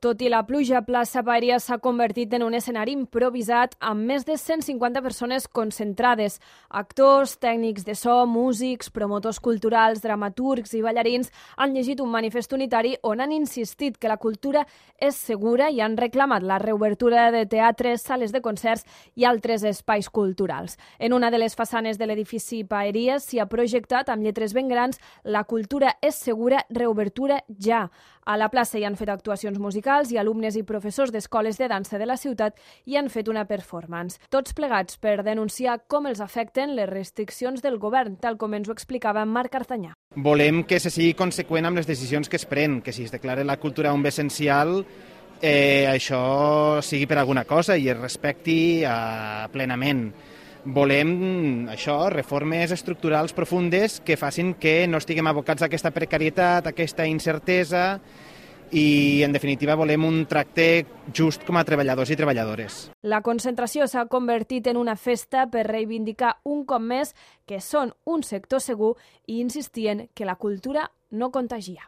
Tot i la pluja, plaça Paeria s'ha convertit en un escenari improvisat amb més de 150 persones concentrades. Actors, tècnics de so, músics, promotors culturals, dramaturgs i ballarins han llegit un manifest unitari on han insistit que la cultura és segura i han reclamat la reobertura de teatres, sales de concerts i altres espais culturals. En una de les façanes de l'edifici Paeria s'hi ha projectat amb lletres ben grans "La cultura és segura, reobertura ja". A la plaça hi han fet actuacions musicals i alumnes i professors d'escoles de dansa de la ciutat hi han fet una performance. Tots plegats per denunciar com els afecten les restriccions del govern, tal com ens ho explicava Marc Artanyà. Volem que se sigui conseqüent amb les decisions que es pren, que si es declara la cultura un bé essencial, això sigui per alguna cosa i es respecti plenament. Volem reformes estructurals profundes que facin que no estiguem abocats a aquesta precarietat, a aquesta incertesa i, en definitiva, volem un tracte just com a treballadors i treballadores. La concentració s'ha convertit en una festa per reivindicar un cop més que són un sector segur i insistien que la cultura no contagia.